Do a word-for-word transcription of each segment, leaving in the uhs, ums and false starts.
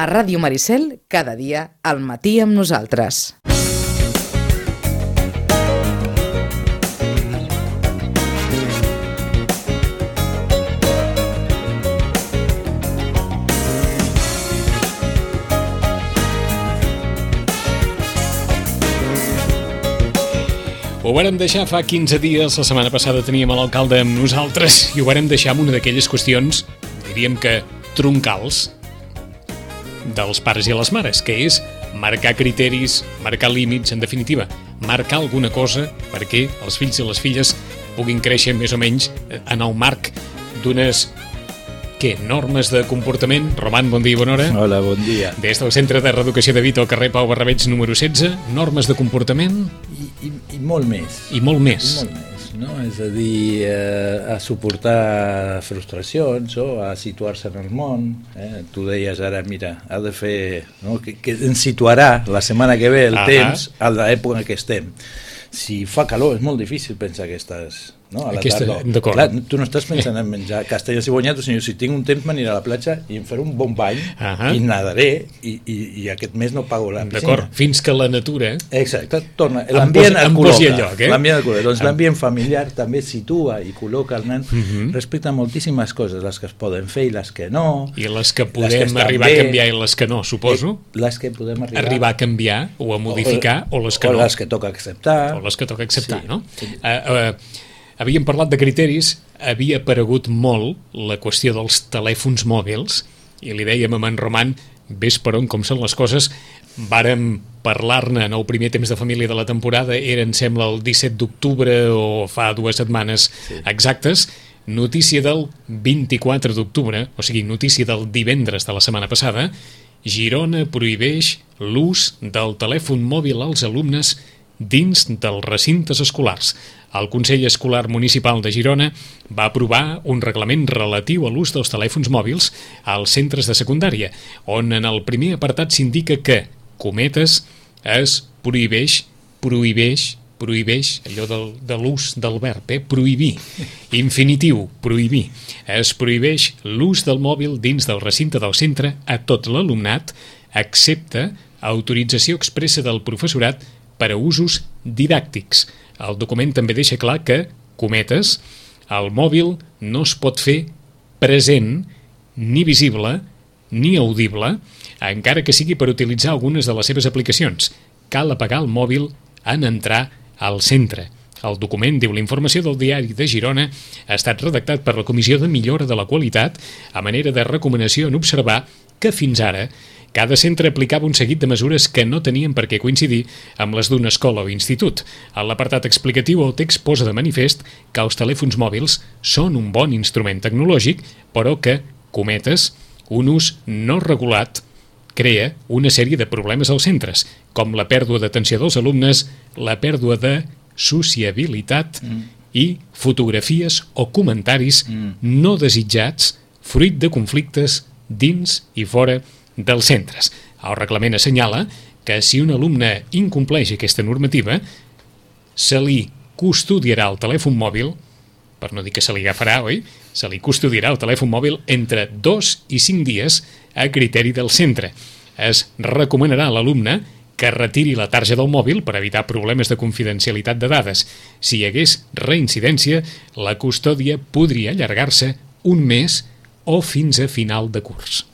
A Ràdio Maricel, cada dia, al matí amb nosaltres. Ho vàrem deixar fa quinze dies, la setmana passada teníem l'alcalde amb nosaltres i ho vàrem deixar amb una d'aquelles qüestions, diríem que troncals, dels pares i les mares, que és marcar criteris, marcar límits, en definitiva, marcar alguna cosa perquè els fills i les filles puguin créixer més o menys en el marc d'unes, què, normes de comportament. Roman, bon dia i bona hora. Hola, bon dia. Des del Centre de Reeducació de Vito, al carrer Pau Barrabeig número setze, normes de comportament... I, i, i molt més. I molt més. I molt més, no? És a dir, eh, a suportar frustracions o a situar-se en el món. Eh? Tu deies ara, mira, ha de fer... No? Que, que ens situarà la setmana que ve el ah temps a l'època en què estem. Si fa calor és molt difícil pensar que estàs... No, a la Aquesta, tarda. Clar, tu no estàs pensant en menjar castells i bonyats, sinó si tinc un temps m'aniré a la platja i em faré un bon bany uh -huh. i nadaré i, i, i aquest mes no pago la piscina. D'acord, fins que la natura... Exacte, torna. L'ambient el col·loca. Eh? L'ambient el col·loca. Doncs l'ambient familiar també situa i col·loca el nen uh -huh. respecte a moltíssimes coses, les que es poden fer i les que no. I les que podem que arribar bé, a canviar i les que no, suposo. Les que podem arribar... Arribar a canviar o a modificar o, o les que o no. O les que toca acceptar. O les que toca acceptar, sí. no? Sí. Uh, uh, Havíem parlat de criteris, havia aparegut molt la qüestió dels telèfons mòbils i li dèiem a en Roman, ves per on com són les coses, vàrem parlar-ne en el primer temps de família de la temporada, era em sembla el disset d'octubre o fa dues setmanes sí. exactes, notícia del vint-i-quatre d'octubre, o sigui, notícia del divendres de la setmana passada, Girona prohibeix l'ús del telèfon mòbil als alumnes dins dels recintes escolars. El Consell Escolar Municipal de Girona va aprovar un reglament relatiu a l'ús dels telèfons mòbils als centres de secundària, on en el primer apartat s'indica que, cometes, es prohibeix, prohibeix, prohibeix, allò del, de l'ús del verb, eh? prohibir, infinitiu, prohibir. Es prohibeix l'ús del mòbil dins del recinte del centre a tot l'alumnat, excepte autorització expressa del professorat per a usos didàctics. El document també deixa clar que, cometes, el mòbil no es pot fer present, ni visible, ni audible, encara que sigui per utilitzar algunes de les seves aplicacions. Cal apagar el mòbil en entrar al centre. El document, diu la informació del Diari de Girona, ha estat redactat per la Comissió de Millora de la Qualitat a manera de recomanació en observar que fins ara cada centre aplicava un seguit de mesures que no tenien per què coincidir amb les d'una escola o institut. A l'apartat explicatiu, el text posa de manifest que els telèfons mòbils són un bon instrument tecnològic, però que, cometes, un ús no regulat crea una sèrie de problemes als centres, com la pèrdua d'atenció dels alumnes, la pèrdua de sociabilitat mm. i fotografies o comentaris mm. no desitjats, fruit de conflictes dins i fora dels centres. El reglament assenyala que si un alumne incompleix aquesta normativa, se li custodiarà el telèfon mòbil, per no dir que se li agafarà, oi? Se li custodiarà el telèfon mòbil entre dos i cinc dies a criteri del centre. Es recomanarà a l'alumne que retiri la tarja del mòbil per evitar problemes de confidencialitat de dades. Si hi hagués reincidència, la custòdia podria allargar-se un mes o fins a final de curs.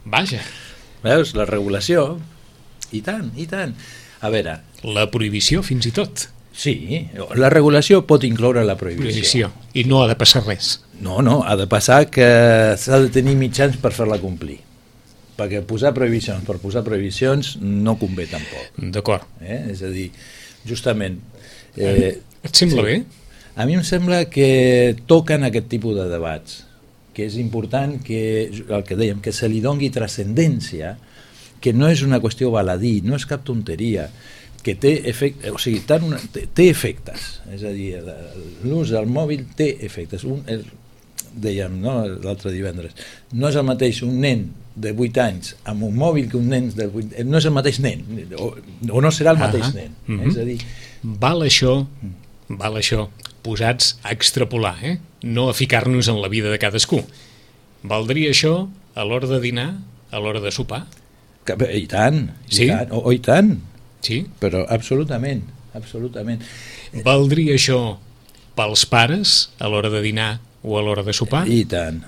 Vaja. Veus, la regulació, i tant, i tant. A veure... La prohibició, fins i tot. Sí, la regulació pot incloure la prohibició. Prohibició. I no ha de passar res. No, no, ha de passar que s'ha de tenir mitjans per fer-la complir. Perquè posar prohibicions per posar prohibicions no convé tampoc. D'acord. Eh? És a dir, justament... Eh, Et sembla sí. bé? A mi em sembla que toquen aquest tipus de debats, que és important que, el que dèiem, que se li dongui transcendència, que no és una qüestió baladí, no és cap tonteria, que té efectes, o sigui, tant una, té, té efectes, és a dir, l'ús del mòbil té efectes. Un, el, dèiem, no, l'altre divendres, no és el mateix un nen de vuit anys amb un mòbil que un nen de vuit, no és el mateix nen, o, o no serà el mateix ah, nen. Mm-hmm. És a dir... Val això, val això, posats a extrapolar, eh? No a ficar-nos en la vida de cadascú. Valdria això a l'hora de dinar a l'hora de sopar? Que, I tant, i Sí? tant, o, o i tant, Sí? però absolutament, absolutament. Valdria això pels pares a l'hora de dinar o a l'hora de sopar? I tant,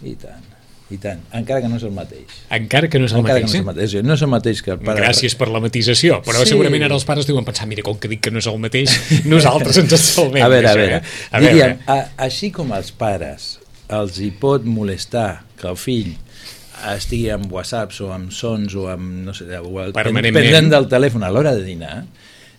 i tant, i tant, encara que no és el mateix. Encara que no és el Encara mateix, que no és el eh? mateix, no és el mateix que el pare... Gràcies per la matisació, però Sí. segurament ara els pares deuen pensar, mira, com que dic que no és el mateix, nosaltres ens estalvem. A veure, a d'això, veure, eh? A diríem, veure, a, així com als pares els hi pot molestar que el fill estigui amb whatsapps o amb sons o amb, no sé, o el, Permanentment. pendent del telèfon a l'hora de dinar,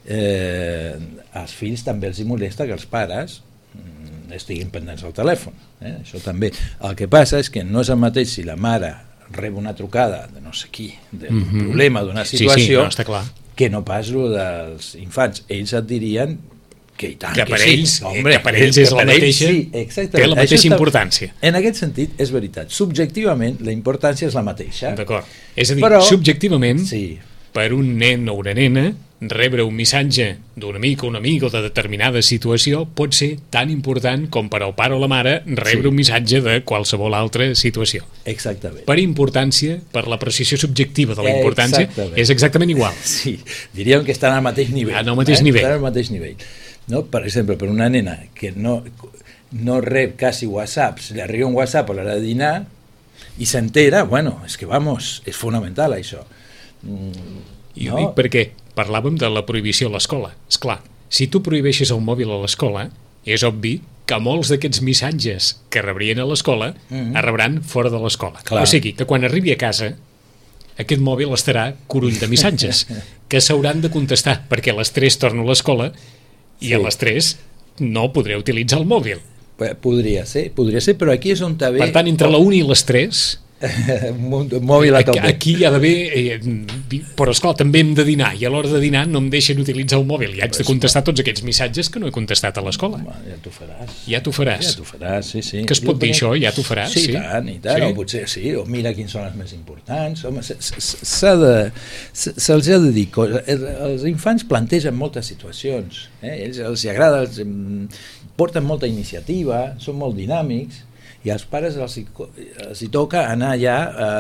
eh, als fills també els hi molesta que els pares mm, estiguin pendents del telèfon. Eh? Això també. El que passa és que no és el mateix si la mare rep una trucada de no sé qui, d'un Mhm. problema, d'una Sí, sí, situació, no, està clar. que no pas lo dels infants. Ells et dirien que i tant, Que per sí. ells- Hombre, que per ells és la per ells mateixa- sí, exactament. té la Això mateixa està- importància. En aquest sentit, és veritat. Subjectivament, la importància és la mateixa. D'acord. És a dir, Però- subjectivament, Sí, per un nen o una nena, rebre un missatge d'un amic o un amic o de determinada situació pot ser tan important com per al pare o la mare rebre Sí. un missatge de qualsevol altra situació. exactament. Per importància, per l'apreciació subjectiva de la importància, Exactament. és exactament igual. Sí, diríem que estan al mateix nivell. En el mateix eh? nivell. Estan al mateix nivell. No? Per exemple, per una nena que no, no rep quasi whatsapps, li arriba un whatsapp a l'hora de dinar i s'entera, bueno, és que vamos, és fonamental això. Mm, I ho dic perquè parlàvem de la prohibició a l'escola. És clar, si tu prohibeixes el mòbil a l'escola, és obvi que molts d'aquests missatges que rebrien a l'escola Mhm. es rebran fora de l'escola. Clar. O sigui, que quan arribi a casa aquest mòbil estarà curull de missatges que s'hauran de contestar, perquè a les tres torno a l'escola i Sí. a les tres no podré utilitzar el mòbil. P- Podria ser, podria ser, però aquí és on també... Per tant, entre la una i les tres... un mòbil a Aquí, tope. aquí hi ha d'haver... Eh, però, esclar, també hem de dinar, i a l'hora de dinar no em deixen utilitzar el mòbil, i haig de contestar tots aquests missatges que no he contestat a l'escola. Home, ja t'ho faràs. Ja t'ho faràs. Ja t'ho faràs, sí, sí. Que es pot Jo dir crec- això, ja t'ho faràs? Sí, Sí. i tant, i tant, Sí. o potser sí, o mira quins són els més importants. Home, se- se- s'ha de, se- se'ls ha de dir coses. Els infants plantegen moltes situacions, eh? Ells els hi agrada, els, em, porten molta iniciativa, són molt dinàmics, i als pares els hi, co- els hi toca anar ja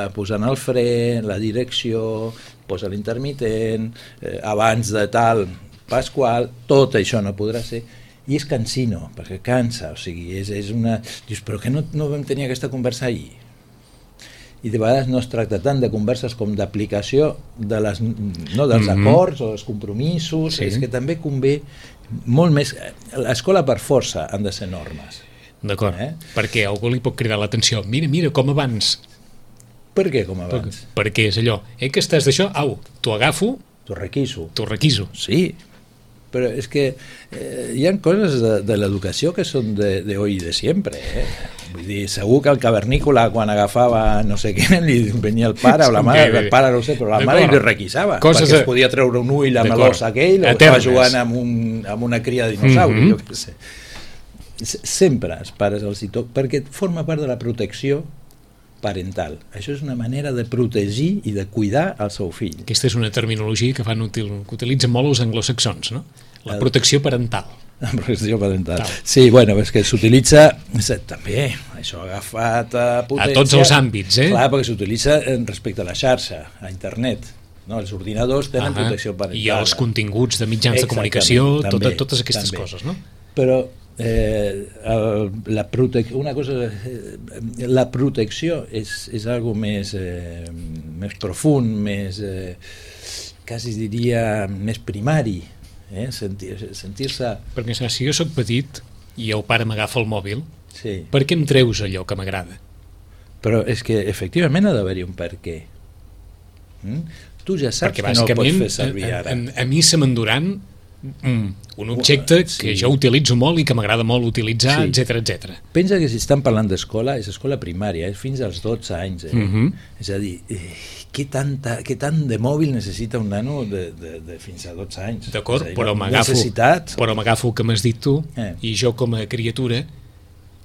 eh, posant el fre, la direcció, posa l'intermitent, eh, abans de tal pasqual, tot això no podrà ser, i és cansino, perquè cansa, o sigui, és, és una... Dius, però que no, no vam tenir aquesta conversa ahir? I de vegades no es tracta tant de converses com d'aplicació de les, no, dels Mhm. acords o dels compromisos, Sí. és que també convé molt més... L'escola per força han de ser normes. D'acord, Eh? perquè algú li pot cridar l'atenció. Mira, mira, com abans. Per què, com Per, abans? perquè és allò. Eh, que estàs d'això? Au, t'ho agafo, T'ho requiso. t'ho requiso. Sí, però és que eh, hi ha coses de, de l'educació que són de, de hoy i de sempre. Eh? Vull dir, segur que el cavernícola, quan agafava no sé què, li venia el pare o la mare, Bé, bé. el pare no ho sé, però la D'acord. mare li requisava, Coses perquè a- es podia treure un ull amb D'acord. l'os aquell, o Eternes. estava jugant amb, un, amb una cria de dinosauri, Mhm. jo què sé. S- Sempre els pares els hi toca, perquè forma part de la protecció parental. Això és una manera de protegir i de cuidar el seu fill. Aquesta és una terminologia que, fan util, que utilitzen molt els anglosaxons, no? La El- protecció parental. La protecció parental. Tal. Sí, bueno, és que s'utilitza és- també, això ha agafat a potència. A tots els àmbits, eh? Clar, perquè s'utilitza eh, respecte a la xarxa, a internet. No? Els ordinadors tenen Ah, protecció parental. I els continguts de mitjans de Exactament, comunicació, també, tota, totes aquestes també. coses, no? Però eh, el, la protec una cosa, eh, la protecció és, és algo més, eh, més profund, més, eh, quasi diria, més primari, eh? sentir-se... Sentir Perquè saps, si jo sóc petit i el pare m'agafa el mòbil, sí. per què em treus allò que m'agrada? Però és que efectivament ha d'haver-hi un per què. Mm? Tu ja saps Perquè que no el pots bàsicament fer servir a, ara. a, a mi se m'enduran mm, un objecte Sí. que jo utilitzo molt i que m'agrada molt utilitzar, Sí. etc etc. Pensa que si estan parlant d'escola, és escola primària, és fins als dotze anys. Eh? Mhm. És a dir, eh, què, tanta, què tant de mòbil necessita un nano de, de, de fins a dotze anys? D'acord, És a dir, però la m'agafo necessitat... però m'agafo el que m'has dit tu Eh. i jo com a criatura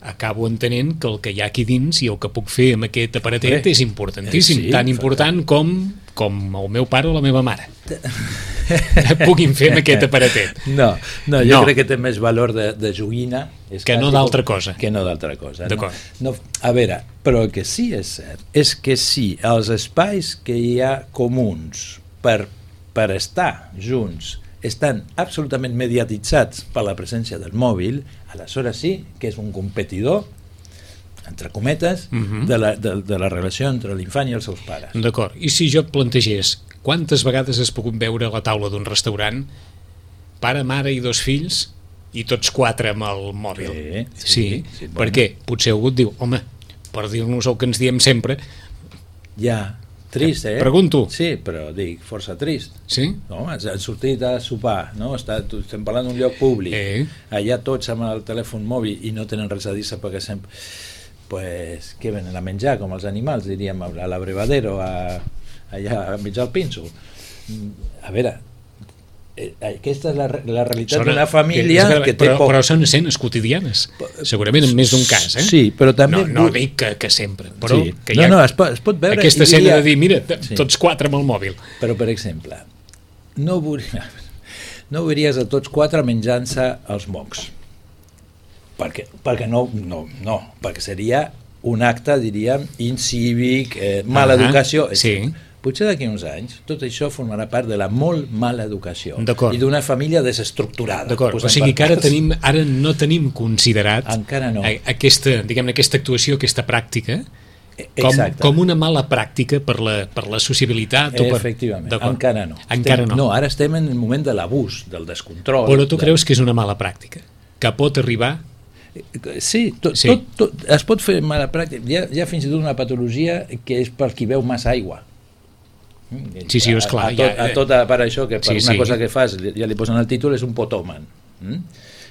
acabo entenent que el que hi ha aquí dins i el que puc fer amb aquest aparatet Bé, és importantíssim, eh, sí, tan important com, com el meu pare o la meva mare. puguin fer amb aquest aparatet. No, no, jo No. crec que té més valor de, de joguina. És Que no quasi d'altra com- cosa. Que no d'altra cosa. D'acord. No? No, a veure, però el que sí és cert és que sí, els espais que hi ha comuns per, per estar junts estan absolutament mediatitzats per la presència del mòbil, aleshores sí que és un competidor, entre cometes, Mhm. de, la, de, de la relació entre l'infant i els seus pares. D'acord. I si jo et plantegés quantes vegades has pogut veure a la taula d'un restaurant pare, mare i dos fills i tots quatre amb el mòbil? Sí, sí, sí. sí, Per bueno. què? Potser algú et diu, home, per dir-nos el que ens diem sempre, Ja, trist, eh? Pregunto. Sí, però dic, força trist. sí? No, han han sortit a sopar, no? Està, tu- estem parlant d'un lloc públic, Eh. allà tots amb el telèfon mòbil i no tenen res a dir-se perquè sempre... Pues, què venen a menjar, com els animals, diríem, a l'abrevadero, a, allà a mig al pinso. Mm, A veure, eh, aquesta és la, re- la realitat Sona- d'una família que, que té però, poc... però són escenes quotidianes, segurament en més d'un cas, eh? Sí, però també... No, no vull- dic que, que sempre, però Sí. que hi No, ha no, es pot, es pot veure... aquesta i escena diria- de dir, mira, t- Sí. tots quatre amb el mòbil. Però, per exemple, no, veuria, no veuries a tots quatre menjant-se els mocs. Perquè, perquè no, no, no, perquè seria un acte, diríem, incívic, eh, mala Ah, educació. sí. Potser d'aquí uns anys tot això formarà part de la molt mala educació D'acord. i d'una família desestructurada. D'acord, o posem sigui per que ara, parts. tenim, ara no tenim considerat Encara no. a- aquesta, diguem-ne, aquesta actuació, aquesta pràctica, com, Exacte. com una mala pràctica per la, per la sociabilitat. O per... Efectivament, D'acord. encara no. Encara estem, no. No, ara estem en el moment de l'abús, del descontrol. Però tu de... creus que és una mala pràctica? Que pot arribar... Sí, tot, Sí. Tot, tot, es pot fer mala pràctica. Hi ha, hi ha fins i tot una patologia que és per qui beu massa aigua. Sí, sí, és clar, A, a, tot, ja- a tot per això, que per Sí, una sí. cosa que fas, ja li posen el títol, és un potòman. Mm?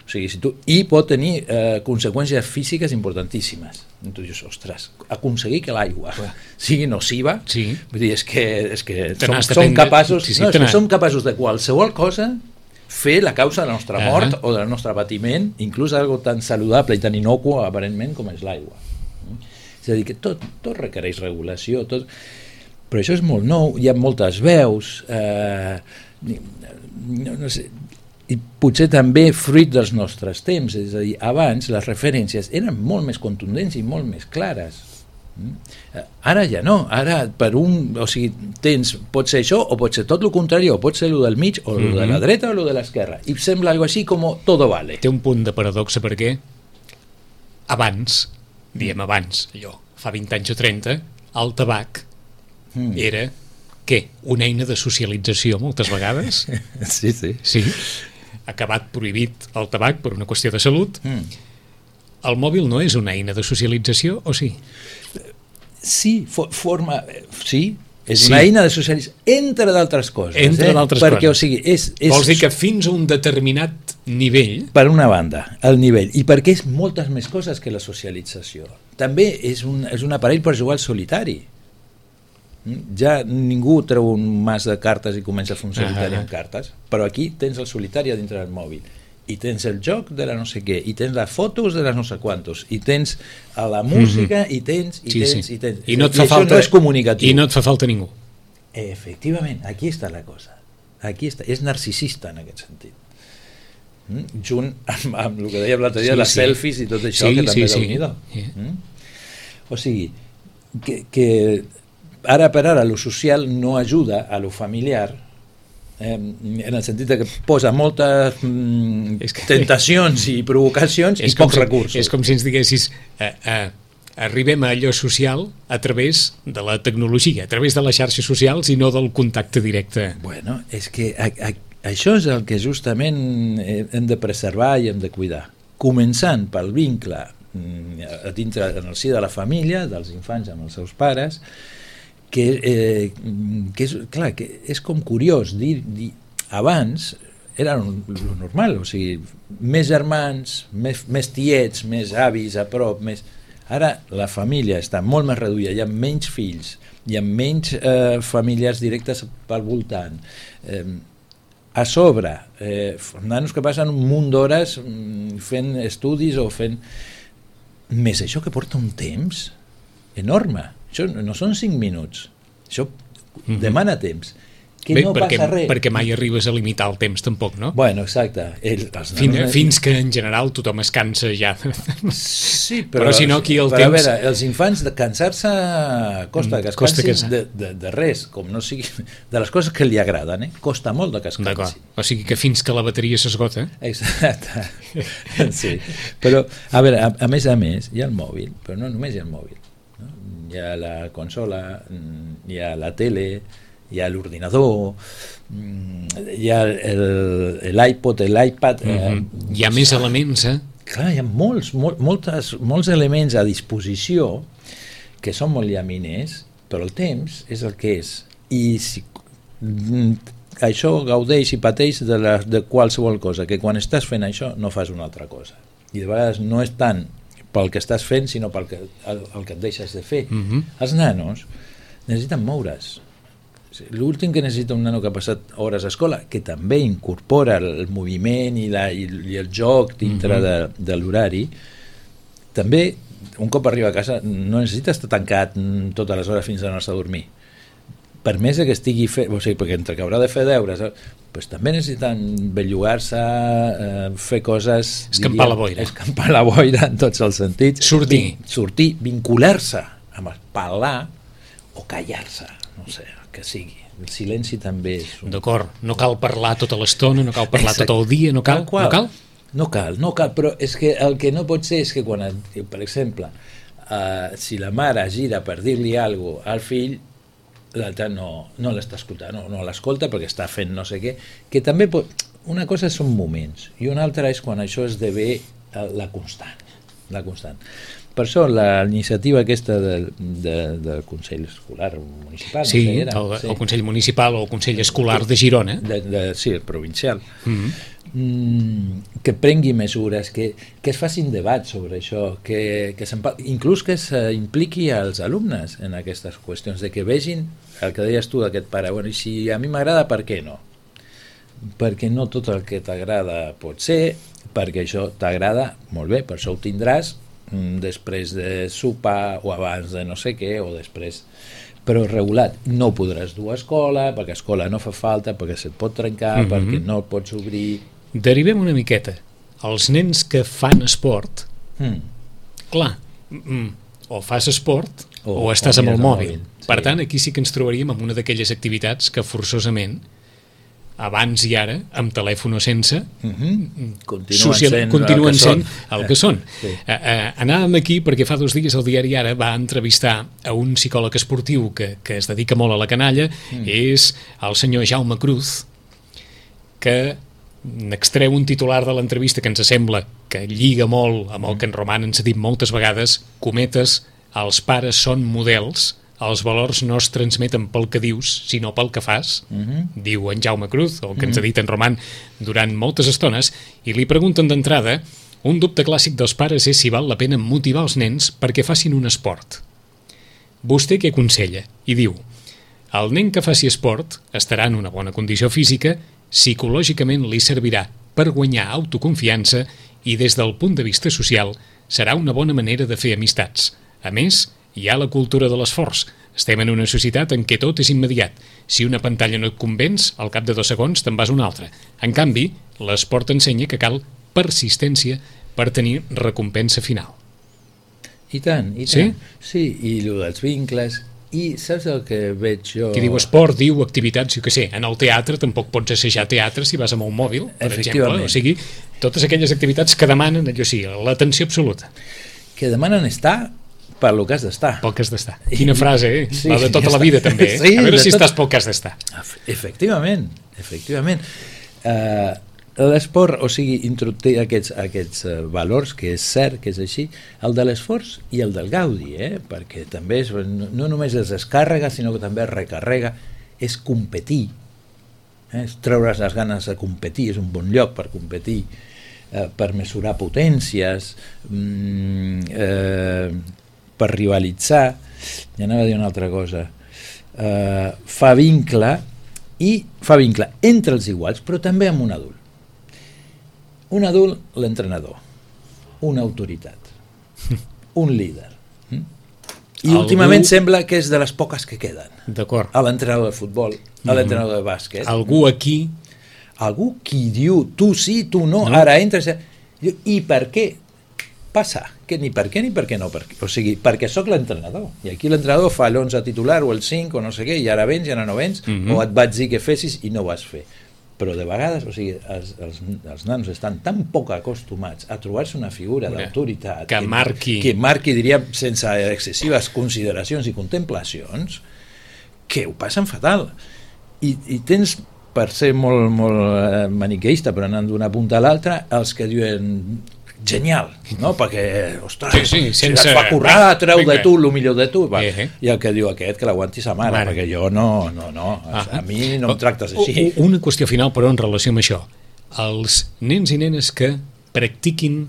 O sigui, si tu, i pot tenir eh, conseqüències físiques importantíssimes. I tu dius, ostres, aconseguir que l'aigua sigui nociva, Sí. vull dir, és que, és que Te som, n'has de som prendre- capaços, sí, sí, no, és te que n'has- som capaços de qualsevol cosa fer la causa de la nostra Ah. mort o del nostre patiment, inclús algo tan saludable i tan inocuo aparentment com és l'aigua. Mm? És a dir, que tot, tot requereix regulació, tot... però això és molt nou, hi ha moltes veus, eh, no, no sé, i potser també fruit dels nostres temps, és a dir, abans les referències eren molt més contundents i molt més clares. Mm? Eh, Ara ja no, ara per un, o sigui, tens, pot ser això o pot ser tot el contrari, o pot ser el del mig o el de la dreta o el de l'esquerra, i sembla algo així com todo vale. Té un punt de paradoxa perquè abans, diem abans, allò, fa vint anys o trenta, el tabac Mm. era, què? Una eina de socialització moltes vegades? Sí, sí. Sí. Acabat prohibit el tabac per una qüestió de salut. Mm. El mòbil no és una eina de socialització, o sí? Sí, fo forma... Sí, és Sí. una eina de socialització, entre d'altres coses. Entre eh? d'altres Perquè, coses. o sigui, és, és... Vols dir que fins a un determinat nivell... Per una banda, el nivell, i perquè és moltes més coses que la socialització. També és un, és un aparell per jugar al solitari. Mm? Ja ningú treu un mas de cartes i comença a fer un solitari Ah. amb cartes, però aquí tens el solitari a dintre del mòbil, i tens el joc de la no sé què, i tens les fotos de les no sé quantos, i tens a la música, i tens, i Sí, tens, sí. i tens. I no et fa això falta, no és comunicatiu. I no et fa falta ningú. Efectivament, aquí està la cosa. Aquí està, és narcisista en aquest sentit. Mm? Junt amb, amb el que dèiem l'altre dia, Sí, les sí. selfies i tot això, Sí, que també sí, sí. déu-n'hi-do. Sí. Mm? O sigui, que, que ara per ara lo social no ajuda a lo familiar, eh, en el sentit de que posa moltes mm, És que- tentacions i provocacions i com pocs si, recursos. És com si ens diguessis eh, eh, arribem a allò social a través de la tecnologia, a través de les xarxes socials i no del contacte directe. Bueno, és que a, a, això és el que justament eh, hem de preservar i hem de cuidar. Començant pel vincle mm, a dintre, en el si de la família, dels infants amb els seus pares, que, eh, que és, clar, que és com curiós dir, dir abans era lo normal, o sigui, més germans, més, més tiets, més avis a prop, més... Ara la família està molt més reduïda, hi ha menys fills, hi ha menys eh, famílies directes pel voltant. Eh, a sobre, eh, nanos que passen un munt d'hores mm, fent estudis o fent... Més això que porta un temps enorme. Això no, no són cinc minuts, això Mhm. demana temps. que Bé, no perquè, passa res. perquè mai arribes a limitar el temps tampoc, no? Bueno, exacte. El, els Fin, nanos- fins que en general tothom es cansa ja. Sí, Però si no, aquí el però temps- a veure, els infants de cansar-se costa que es Costa que cansin sa- de, de, de res, com no sigui de les coses que li agraden, eh? Costa molt de que es D'acord. cansin. O sigui que fins que la bateria s'esgota... Exacte. Sí. Però, a veure, a, a més a més, hi ha el mòbil, però no només hi ha el mòbil. No? Hi ha la consola, hi ha la tele, hi ha l'ordinador, hi ha l'iPod, l'iPad... Mm -hmm. eh, Hi ha més elements, eh? Clar, hi ha molts, mol, moltes, molts elements a disposició que són molt llaminers, però el temps és el que és. I si mm, això gaudeix i pateix de, la, de qualsevol cosa, que quan estàs fent això no fas una altra cosa. I de vegades no és tant pel que estàs fent, sinó pel que, el, el que et deixes de fer. Mm -hmm. Els nanos necessiten moure's. L'últim que necessita un nano que ha passat hores a escola, que també incorpora el moviment i, la, i, i el joc dintre mm -hmm. de, de l'horari, també un cop arriba a casa no necessita estar tancat totes les hores fins a anar-se a dormir. Per més que estigui fet, o sigui, perquè entre que haurà de fer deures, pues també necessiten bellugar-se, eh, fer coses... Escampar la boira. Escampar la boira en tots els sentits. Sortir. Vin, sortir, vincular-se amb el parlar o callar-se, no sé, que sigui. El silenci també és... Un... D'acord, no cal parlar tota l'estona, no cal parlar Exacte. tot el dia, no cal? No cal? No cal, no cal, però és que el que no pot ser és que quan, per exemple, uh, si la mare gira per dir-li alguna cosa al fill, l'altre no, no l'està escoltant, no, no l'escolta perquè està fent no sé què, que també pot... Una cosa són moments i una altra és quan això esdevé la constant, la constant. Per això la iniciativa aquesta del, de, del Consell Escolar Municipal, sí, no sé, era, el, sí, el Consell Municipal o el Consell Escolar de Girona, de, de, sí, el provincial, mm-hmm. mm, que prengui mesures, que, que es facin debats sobre això, que, que inclús que s'impliqui als alumnes en aquestes qüestions, de que vegin el que deies tu d'aquest pare, bueno, i si a mi m'agrada, per què no? Perquè no tot el que t'agrada pot ser, perquè això t'agrada, molt bé, per això ho tindràs després de sopar o abans de no sé què o després, però regulat. No podràs dur a escola perquè a escola no fa falta, perquè se't pot trencar, mm-hmm. perquè no el pots obrir. Derivem una miqueta. Els nens que fan esport, mm. clar, mm, o fas esport o, o estàs o amb el mòbil. mòbil. Per sí. tant, aquí sí que ens trobaríem amb una d'aquelles activitats que forçosament abans i ara, amb telèfon o sense, mm-hmm. continuen, social, sent, continuen el sent el que són. Sí. Uh, uh, anàvem aquí perquè fa dos dies el diari Ara va entrevistar a un psicòleg esportiu que, que es dedica molt a la canalla, mm. és el senyor Jaume Cruz, que n'extreu un titular de l'entrevista que ens sembla que lliga molt amb el que en Roman ens ha dit moltes vegades, cometes, els pares són models, els valors no es transmeten pel que dius, sinó pel que fas, uh-huh. diu en Jaume Cruz, el que uh-huh. ens ha dit en Roman durant moltes estones, i li pregunten d'entrada, un dubte clàssic dels pares és si val la pena motivar els nens perquè facin un esport. Vostè què aconsella? I diu, el nen que faci esport estarà en una bona condició física, psicològicament li servirà per guanyar autoconfiança i des del punt de vista social serà una bona manera de fer amistats. A més, hi ha la cultura de l'esforç. Estem en una societat en què tot és immediat. Si una pantalla no et convenç, al cap de dos segons te'n vas a una altra. En canvi, l'esport ensenya que cal persistència per tenir recompensa final. I tant, i tant. Sí? Sí, i el dels vincles. I saps el que veig jo... Qui diu esport, diu activitats, jo què sé. En el teatre tampoc pots assajar teatre si vas amb un mòbil, per exemple. O sigui, totes aquelles activitats que demanen, allò sí, l'atenció absoluta. Que demanen estar per lo que has d'estar. Pel que has d'estar. Quina frase, eh? Sí, la de tota ja la vida, també. Eh? Sí, a veure si tot... estàs pel que has d'estar. Efectivament, efectivament. Uh, L'esport, o sigui, introduir aquests, aquests uh, valors, que és cert que és així, el de l'esforç i el del gaudi, eh? Perquè també és, no, no només es descàrrega, sinó que també es recarrega, és competir, eh? És treure's les ganes de competir, és un bon lloc per competir, eh, per mesurar potències, mm, eh, per rivalitzar, ja anava a dir una altra cosa, eh, fa vincle i fa vincle entre els iguals, però també amb un adult. Un adult, l'entrenador, una autoritat, un líder. I Algú... últimament sembla que és de les poques que queden. D'acord. A l'entrenador de futbol, a l'entrenador de bàsquet. Algú aquí... Algú qui diu, tu sí, tu no, no. ara entres... I per què passa? Que ni per què ni per què no. Per què? O sigui, perquè sóc l'entrenador. I aquí l'entrenador fa l'onze titular o el cinc o no sé què, i ara vens i ara no vens, mm -hmm. o et vaig dir que fessis i no ho vas fer. Però de vegades, o sigui, els, els, els nanos estan tan poc acostumats a trobar-se una figura d'autoritat que marqui, que marqui, diríem, sense excessives consideracions i contemplacions, que ho passen fatal. I, i tens, per ser molt, molt maniqueista, però anant d'una punta a l'altra, els que diuen genial, no? Perquè, ostres, sí, sí, sense... si et fa currar, treu de tu el millor de tu, va. Eh, eh. I el que diu aquest, que l'aguanti sa mare, mare, perquè jo no, no, no, ah, a mi no em tractes així. Una qüestió final, però, en relació amb això. Els nens i nenes que practiquin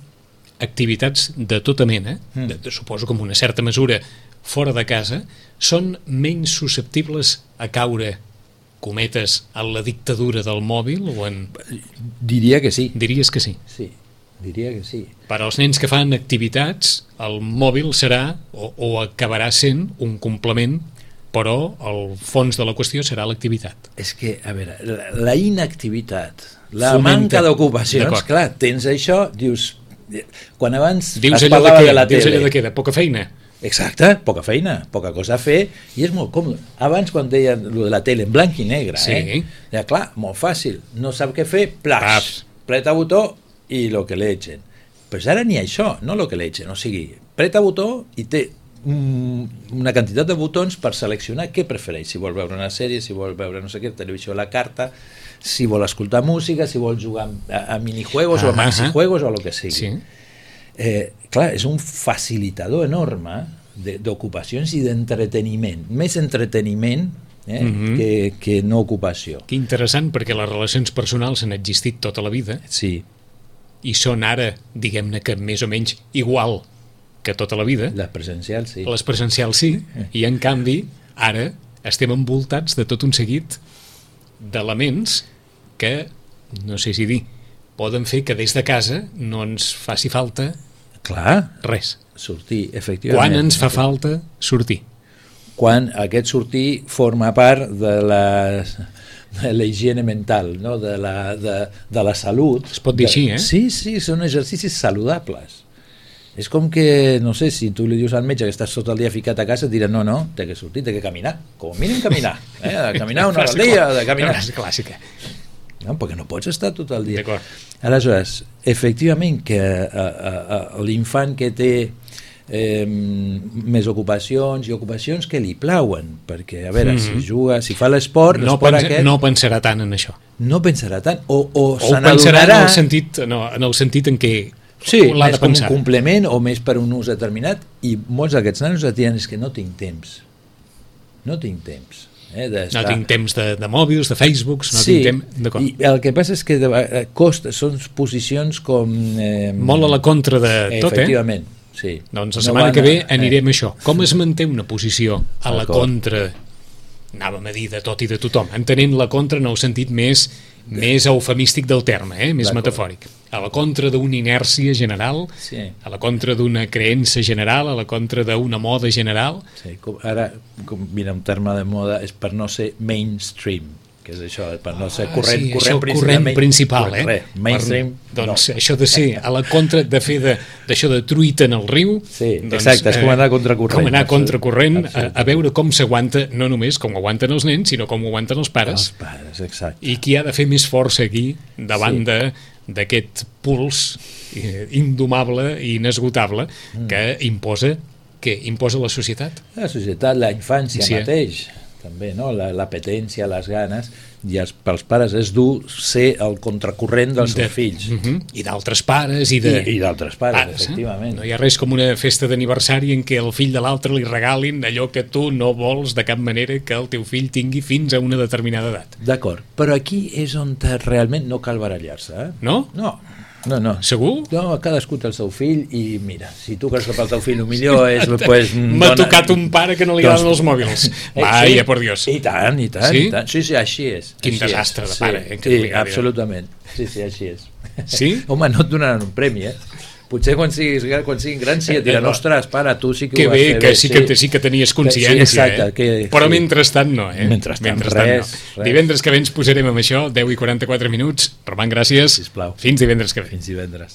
activitats de tota mena, mm. de, de, suposo com una certa mesura, fora de casa, són menys susceptibles a caure, cometes, a la dictadura del mòbil o en... Diria que sí. Diries que sí? Sí. Diria que sí. Per als nens que fan activitats, el mòbil serà o, o acabarà sent un complement, però el fons de la qüestió serà l'activitat. És que, a veure, la, la inactivitat, la Fomenta. manca d'ocupacions, clar, tens això, dius... Quan abans dius es allò parlava de, què? de la Dius tele... allò de què? De poca feina? Exacte, poca feina, poca cosa a fer, i és molt còmode. Abans, quan deien lo de la tele en blanc i negre, sí. eh? Ja, clar, molt fàcil, no sap què fer, plax, preta botó i lo que le echen. Però ara ni això, no lo que le echen, o sigui, preta botó i té una quantitat de botons per seleccionar què prefereix, si vol veure una sèrie, si vol veure no sé què, televisió a la carta, si vol escoltar música, si vol jugar a, a minijuegos ah, o a maxijuegos ah, o a lo que sigui. Sí. Eh, clar, és un facilitador enorme d'ocupacions i d'entreteniment, més entreteniment eh, mm-hmm. que, que no ocupació. Que interessant, perquè les relacions personals han existit tota la vida. Sí. I són ara, diguem-ne que més o menys igual que tota la vida. Les presencials, sí. Les presencials, sí. I, en canvi, ara estem envoltats de tot un seguit d'elements que, no sé si dir, poden fer que des de casa no ens faci falta Clar, res. Sortir, efectivament. Quan ens fa falta sortir? Quan aquest sortir forma part de la, de la higiene mental, no? de, la, de, de la salut. Es pot dir de, així, eh? Sí, sí, són exercicis saludables. És com que, no sé, si tu li dius al metge que estàs tot el dia ficat a casa, et dirà, no, no, té que sortir, té que caminar. Com a mínim caminar. Eh? De caminar una hora al dia, de caminar. És clàssica. No, perquè no pots estar tot el dia. D'acord. Aleshores, efectivament que a, a, a l'infant que té eh, més ocupacions i ocupacions que li plauen, perquè a veure, mm-hmm. si juga, si fa l'esport, no, l'esport pensa, aquest, no pensarà tant en això. No pensarà tant, o, o, o se pensarà n'adonarà... en el sentit, no, en el sentit en què sí, l'ha més de com pensar. un complement o més per un ús determinat, i molts d'aquests nanos et diuen és que no tinc temps. No tinc temps. Eh, no tinc temps de, de mòbils, de Facebooks, no sí, tinc temps... I el que passa és que de, costa, són posicions com... Eh, molt a la contra de tot, efectivament, eh? Sí. Doncs la setmana no que ve anirem a això. Com es manté una posició a la contra, anàvem a dir, de tot i de tothom, entenent la contra en el sentit més, més eufemístic del terme, eh? Més metafòric. A la contra d'una inèrcia general, sí. A la contra d'una creença general, a la contra d'una moda general. Sí, com ara, com, mira, un terme de moda és per no ser mainstream, que és això, per no ser corrent, ah, sí, corrent, corrent, corrent principal, eh? Res, mainstream, per, doncs no. Això de ser a la contra, de fer d'això de, de truita en el riu, sí, doncs, exacte, és com anar contracorrent. Com anar contracorrent, a, a veure com s'aguanta, no només com ho aguanten els nens, sinó com ho aguanten els pares. Els pares, exacte. I qui ha de fer més força aquí, davant sí. de d'aquest puls indomable i inesgotable mm. que imposa, que imposa la societat. La societat, la infància sí. mateix, també, no? L'apetència, les ganes, i els, pels pares és dur ser el contracorrent dels de, seus fills. Uh-huh. I d'altres pares. I, de, I, i d'altres pares, pares, efectivament. Eh? No hi ha res com una festa d'aniversari en què el fill de l'altre li regalin allò que tu no vols de cap manera que el teu fill tingui fins a una determinada edat. D'acord, però aquí és on realment no cal barallar-se. Eh? No? No. No, no. Segur? No, cadascú té el seu fill i mira, si tu creus que pel teu fill el millor és... Pues, m'ha dona... tocat un pare que no li agraden els mòbils. Vaja, por Dios. I tant, i tant, sí? i tant. Sí, sí, així és. Quin així desastre és. de pare. Sí, eh, que sí absolutament. Sí, sí, així és. Sí? Home, no et donaran un premi, eh? potser quan, siguis, quan siguin grans sí et diran, ostres, pare, tu sí que, que ho vas bé, fer que bé. sí que, sí que tenies consciència, sí, exacte, eh? que, Però sí. mentrestant no, eh? Mentrestant, mentrestant res, no. res. Divendres que ve ens posarem amb això, deu i quaranta-quatre minuts. Roman, gràcies. Sisplau. Fins divendres que ve. Fins divendres.